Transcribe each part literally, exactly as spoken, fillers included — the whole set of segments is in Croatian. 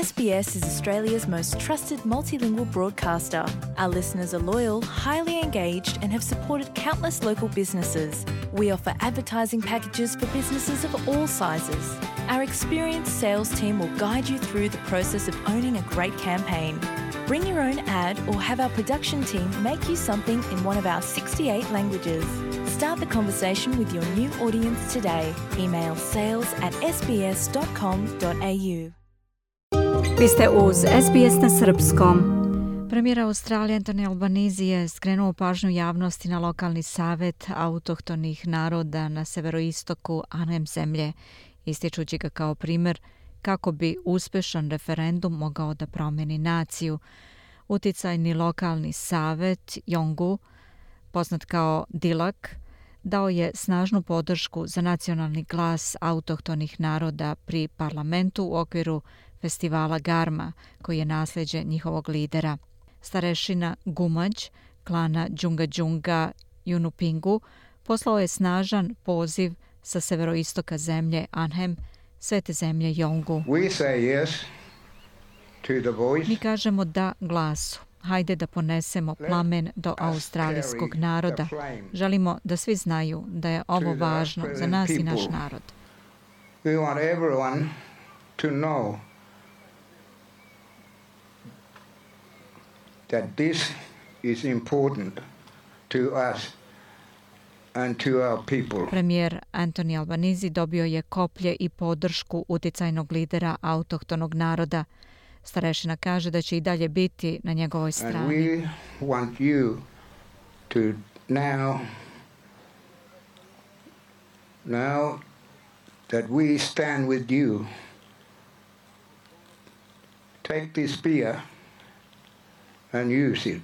S B S is Australia's most trusted multilingual broadcaster. Our listeners are loyal, highly engaged, and have supported countless local businesses. We offer advertising packages for businesses of all sizes. Our experienced sales team will guide you through the process of owning a great campaign. Bring your own ad or have our production team make you something in one of our sixty-eight languages. Start the conversation with your new audience today. Email sales at s b s dot com dot a u. Vi ste uz S B S na srpskom. Premijer Australije Anthony Albanese je skrenuo pažnju javnosti na lokalni savet autohtonih naroda na severoistoku Arnhem zemlje, ističući ga kao primjer kako bi uspešan referendum mogao da promeni naciju. Uticajni lokalni savet Yolngu, poznat kao Dilak, dao je snažnu podršku za nacionalni glas autohtonih naroda pri parlamentu u okviru festivala Garma, koji je nasljeđe njihovog lidera. Starešina Gumađ, klana Džunga Džunga Yunupingu, poslao je snažan poziv sa severoistoka zemlje Arnhem, svete zemlje Yolngu. Yes Mi kažemo da glasu. Hajde da ponesemo plamen do australijskog naroda. Želimo da svi znaju da je ovo važno za nas i naš narod. We want everyone to know that this is important to us and to our people. Premijer Anthony Albanese dobio je koplje i podršku uticajnog lidera autohtonog naroda. Starešina kaže da će i dalje biti na njegovoj strani. And we want you to now, now that we stand with you, take this spear and use it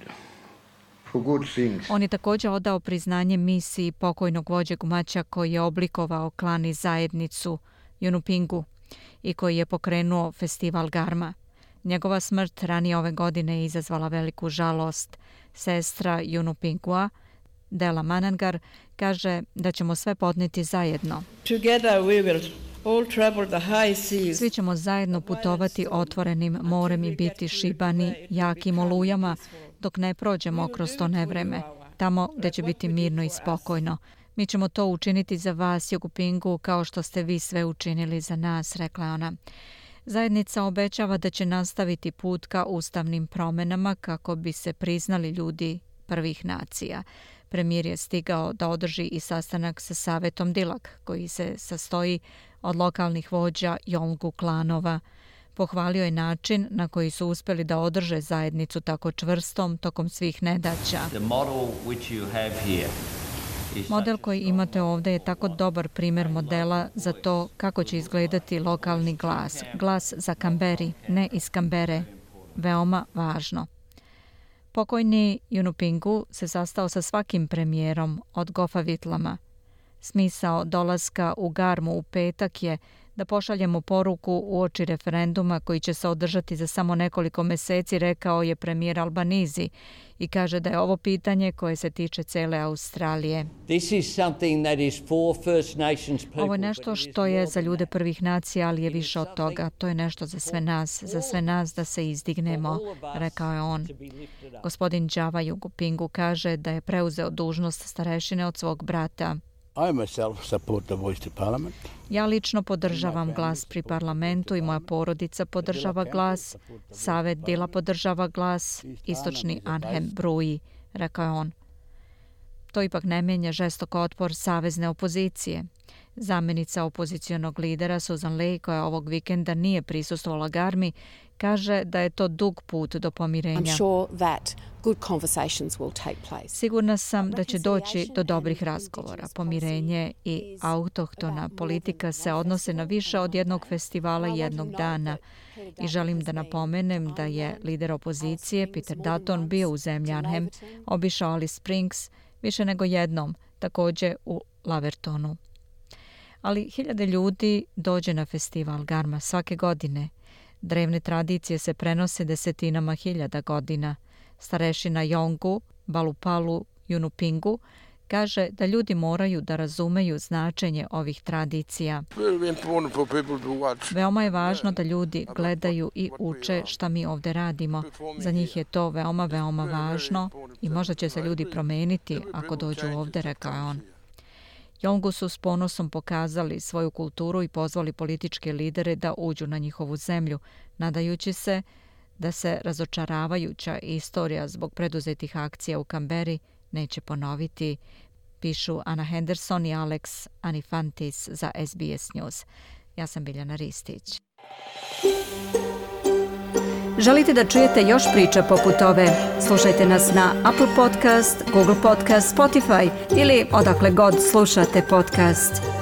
for good things. On je također odao priznanje misiji pokojnog vođe Gumaća koji je oblikovao klan i zajednicu Yunupingu i koji je pokrenuo festival Garma. Njegova smrt ranije ove godine je izazvala veliku žalost. Sestra Yunupingua, Dela Manangar, kaže da ćemo sve podnijeti zajedno. Together we will all travel the high seas. Svi ćemo zajedno putovati otvorenim morem i biti šibani jakim olujama dok ne prođemo kroz to nevreme, tamo gdje će biti mirno i spokojno. Mi ćemo to učiniti za vas, Yunupingu, kao što ste vi sve učinili za nas, rekla ona. Zajednica obećava da će nastaviti put ka ustavnim promjenama kako bi se priznali ljudi prvih nacija. Premijer je stigao da održi i sastanak sa Savetom Dilak, koji se sastoji od lokalnih vođa Yolngu klanova. Pohvalio je način na koji su uspjeli da održe zajednicu tako čvrstom tokom svih nedaća. Model koji imate ovdje je tako dobar primjer modela za to kako će izgledati lokalni glas. Glas za Kamberi, ne iz Kambere. Veoma važno. Pokojni Yunupingu se sastao sa svakim premijerom od Gofa Vitlama. Smisao dolaska u Garmu u petak je da pošaljemo poruku uoči referenduma koji će se održati za samo nekoliko mjeseci, rekao je premijer Albanese, i kaže da je ovo pitanje koje se tiče cele Australije. Ovo je nešto što je za ljude prvih nacija, ali je više od toga. To je nešto za sve nas, za sve nas da se izdignemo, rekao je on. Gospodin Java Yunupingu kaže da je preuzeo dužnost starešine od svog brata. Ja lično podržavam glas pri parlamentu i moja porodica podržava glas. Savet Dila podržava glas. Istočni Arnhem bruji, rekao je on. To ipak ne mijenja žestok otpor savezne opozicije. Zamjenica opozicionog lidera Susan Ley, koja ovog vikenda nije prisustvovala Garmi, kaže da je to dug put do pomirenja. Sigurna sam da će doći do dobrih razgovora. Pomirenje i autohtona politika se odnose na više od jednog festivala jednog dana. I želim da napomenem da je lider opozicije Peter Dutton bio u zemlji Arnhem, obišao Alice Springs više nego jednom, također u Lavertonu. Ali hiljade ljudi dođe na festival Garma svake godine. Drevne tradicije se prenose desetinama hiljada godina. Starešina Yolngu, Balupalu Yunupingu, kaže da ljudi moraju da razumeju značenje ovih tradicija. Veoma je važno da ljudi gledaju i uče šta mi ovdje radimo. Za njih je to veoma, veoma važno i možda će se ljudi promeniti ako dođu ovdje, rekao je on. Yolngu su s ponosom pokazali svoju kulturu i pozvali političke lidere da uđu na njihovu zemlju, nadajući se da se razočaravajuća istorija zbog preduzetih akcija u Kamberi neće ponoviti, pišu Ana Henderson i Alex Anifantis za S B S News. Ja sam Biljana Ristić. Želite da čujete još priča poput ove? Slušajte nas na Apple Podcast, Google Podcast, Spotify ili odakle god slušate podcast.